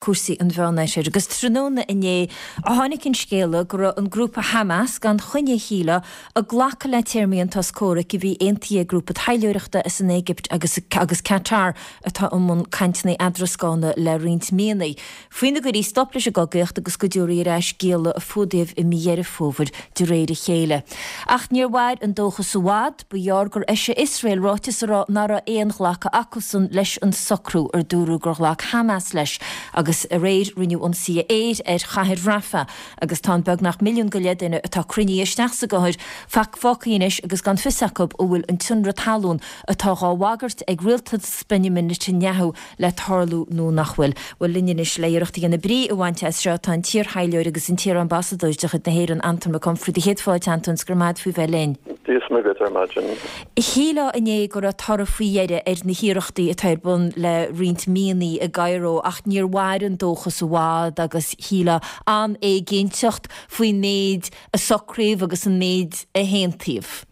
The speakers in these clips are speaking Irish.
Cúrsaí an Mheánoirthir. Agus tráthnóna inné a tháinig an scéala go raibh an grúpa Hamas, gan choinne shílfeá, ag glacadh le téarmaí an tsos comhraic a bhí aontaithe ag grúpa taidhleoireachta as an Éigipt agus agus Qatar atá i mbun cainteanna eadrascána le roinnt míonna, faoina gcuirfí stop leis an gcogaíocht agus go dtabharfaí ar ais gialla a fuadaíodh i mí Dheireadh Fómhair de réir a chéile. Ach níor mhair an dóchas i bhfad. Ba ghearr gur eisigh Iosrael ráiteas a rá nach raibh aon ghlacadh acusan leis an socrú ar dúradh gur ghlac Hamas leis agus aréir rinneadh ionsaithe aeir ar chathair Rafah agus tá an beagnach milliún go leith duine atá cruinnithe isteach sa gcathair fágtha anois agus gan fios acu an bhfuil an t-ionradh talún atá dhá bhagairt ag rialtas Benjamin Netanyahu le tarlú nó nach bhfuil. Bhuel, linn anois le iarracht a dhéanamh brí a bhaint as seo tá an t-iar-thaidhleoir agus an t-iar-ambasadóir de chuid na hÉireann, Antóin Mac Unfraidh. Do chéad fáilte, Antóin, 's go raibh maith agat faoi bheith linn. Dia is Muire duit ar maidin. Shílfeá inné go raibh toradh faoi dheireadh ar na hiarrachtaí atá ar bun le roinnt míonna i gCairo ach níor mhair an dóchas i bhfad agus shílfeá an-éiginnteacht faoin méid a socraíodh agus an méid a haontaíodh.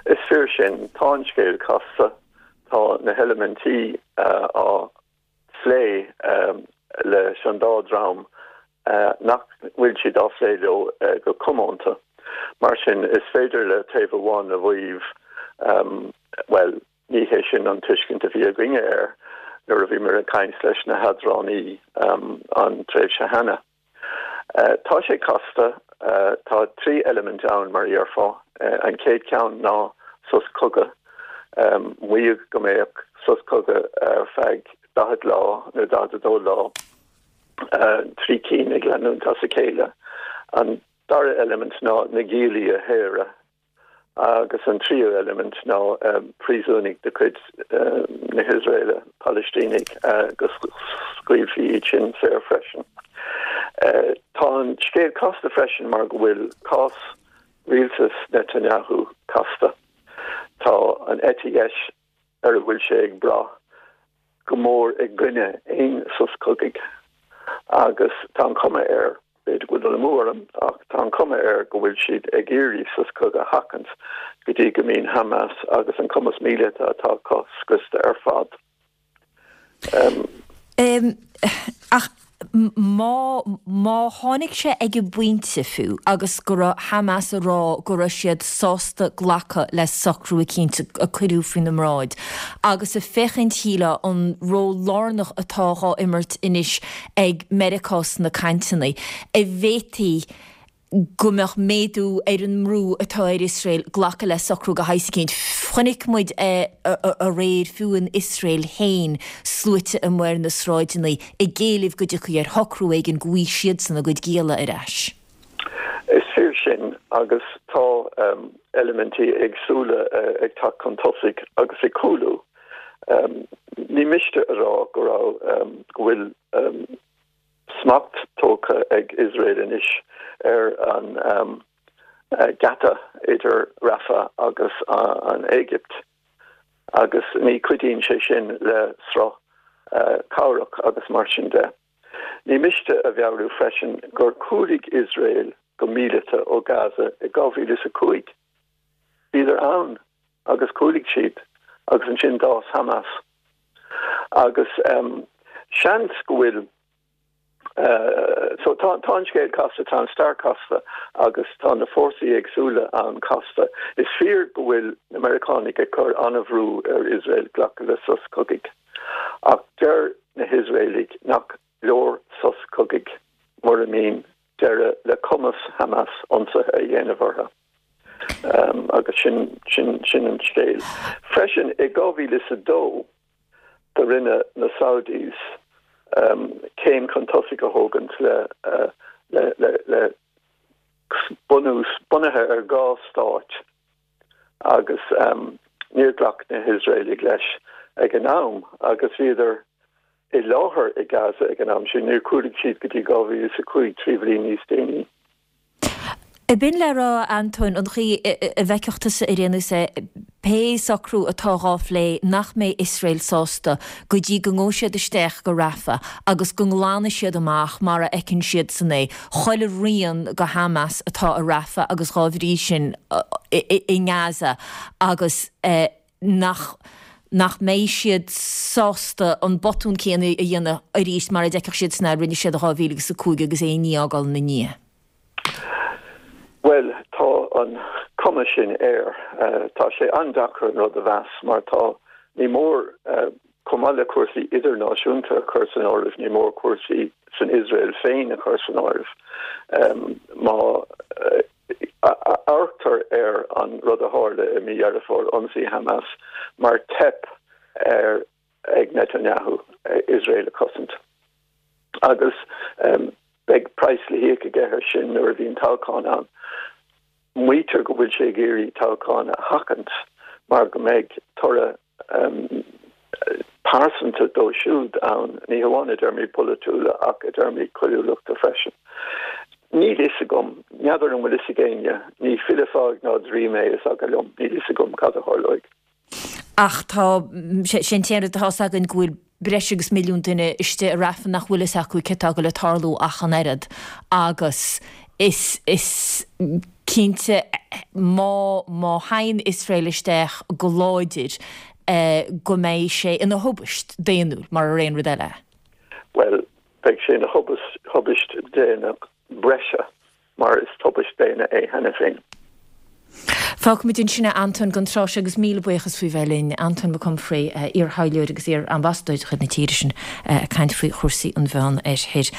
Is fíor sin. Tá an scéal casta. Tá na heilimintí á phlé leis an dá dhream nach bhfuil siad á phlé leo go comónta. Mar sin, is féidir le taobh amháin a mhaíomh, bhuel, ní hé sin an tuiscint a bhí againne air nuair a bhíomar ag caint leis na headránaí an tréimhse cheana. Tá sé casta. Tá 3 eilimint ann, mar a déarfá. An chéad cheann ná sos cogaidh. Maíodh go mbeadh sos cogaidh ar feadh 40 lá nó 42 lá, 3 cinn ag leanúint as a chéile. An dara eilimint ná na giallaí a shaoradh. Agus an tríú eilimint ná príosúnaigh de chuid na hIosraeile, Palaistínigh, go scaoilfí iad sin saor freisin. Tá an scéal casta freisin mar go bhfuil cás rialtas Netanyahu casta. Tá an eite dheis ar a bhfuil sé ag brath go mór i gcoinne aon sos cogaidh agus tá an chuma air, b'fhéidir go bhfuil dul amú orm, ach tá an chuma air go bhfuil siad ag iarraidh sos cogaidh a sheachaint go dtí go mbíonn Hamas agus an cumas míleata atá acu scriosta ar fad. Ach má, má tháinig sé ag an bpointe fiú agus go raibh Hamas ag rá go raibh siad sásta glacadh le socrú eicínt a cuireadh faoina mbráid agus ag féachaint, shílfeá, an ról lárnach atá dhá imirt anois ag Meiriceá sna cainteanna, an bhféadfaí go mbeadh méadú ar an mbrú atá ar Iosrael glacadh le socrú de shaghas eicínt. Chonaic muid aréir fiú in Iosrael féin sluaite amuigh ar na sráideanna ag éileamh go dtiocfaí ar shocrú éigin go bhfaighidh siadsan a gcuid gialla ar ais. Is fíor sin agus tá eilimintí éagsúla ag teacht chun tosaigh agus ag cúlú. Ní miste a rá go raibh, go bhfuil, smacht tógtha ag Iosrael anois ar an geata idir Rafah agus an Éigipt agus ní chuidíonn sé sin le sruth cabhrach agus mar sin de. Ní miste a mheabhrú freisin gur chúlaigh Iosrael go míleata ó Gaza i 2005. Bhíodar ann agus chúlaigh siad agus ansin d'fhás Hamas. Agus seans go bhfuil, so tá an scéal casta, tá an stair casta agus tá na fórsaí éagsúla ann casta. Is fíor go bhfuil na Meiriceánaigh ag cur an-bhrú ar Iosrael glacadh le sos cogaidh. Ach deir na hIosraelaigh nach leor sos cogaidh mura mbíonn deireadh le cumas Hamas ionsaithe a dhéanamh orthu. Agus sin, sin, sin an scéal. Freisin, i 2002 do rinne na Saudis céim chun tosaigh a thógaint le, le, le, le bunús, bunaithe ar dhá stáit agus níor ghlac na hIosraelaigh leis ag an am agus bhíodar i láthair i Gaza ag an am sin, níor chúlaigh siad go dtí 2005, 3 bhliain níos déanaí. Ab in le rá, a Antóin, an chaoi a bhfeicfeadh tusa ar aon nós é, pé socrú atá dhá phlé, nach mbeidh Iosrael sásta go dtí go ngabhfaidh siad isteach go Rafah agus go nglanfaidh siad amach mar a fheiceann siadsan é, chuile rian de Hamas atá i Rafah agus dhá bhrí sin i nGaza agus nach. nach mbeidh siad sásta an botún céanna a dhéanamh arís mar a d'fheicfeadh siadsan a rinne siad i 2005 agus aon ní a fhágáil ina ndiaidh. Bhuel, tá an cuma sin air. Tá sé an-deacair an rud a mheas mar tá, ní mór, chomh maith le cúrsaí idirnáisiúnta a chur san áireamh, ní mór cúrsaí san Iosrael féin a chur san áireamh. Má amharctar ar an rud a tharla i mí Dheireadh Fómhair, ionsaí Hamas, mar teip ar ag Netanyahu Iosrael a chosaint. Agus beidh praghas le híoc aige air sin nuair a bhíonn toghchán ann. Maítear go bhfuil sé ag iarraidh toghchán a sheachaint mar go mbeidh toradh pearsanta dó siúd ann, ní hamháin i dtéarmaí polaitiúla ach i dtéarmaí coiriúlachta freisin. Níl fhios agam, n'fheadar an bhfuil fhios ag éinne, ní file fáidh ná draoi mé, is eagal liom, níl fhios agam cad a tharlóidh. Ach tá, sé an t-aon rud atá fhios againn go bhfuil breis agus milliún duine istigh i Rafah nach bhfuil fhios acu céard atá ag goil ag tarlú ach an oiread agus is, is cinnte má, má théann Iosrael isteach go láidir go mbeidh sé ina thubaist daonnúil mar ar aon rud eile. Bhuel, beidh sé ina thubaist daonna breise mar is tubaist daonna é cheana féin. Fágfaimid ansin é Antóin don tráth seo agus míle buíochas faoi bheith linn. Antóin Mac Unfraidh, iar-thaidhleoir agus iar-ambasadóir de chuid na tíre sin ag caint faoi chúrsaí an Mheán Oirthir.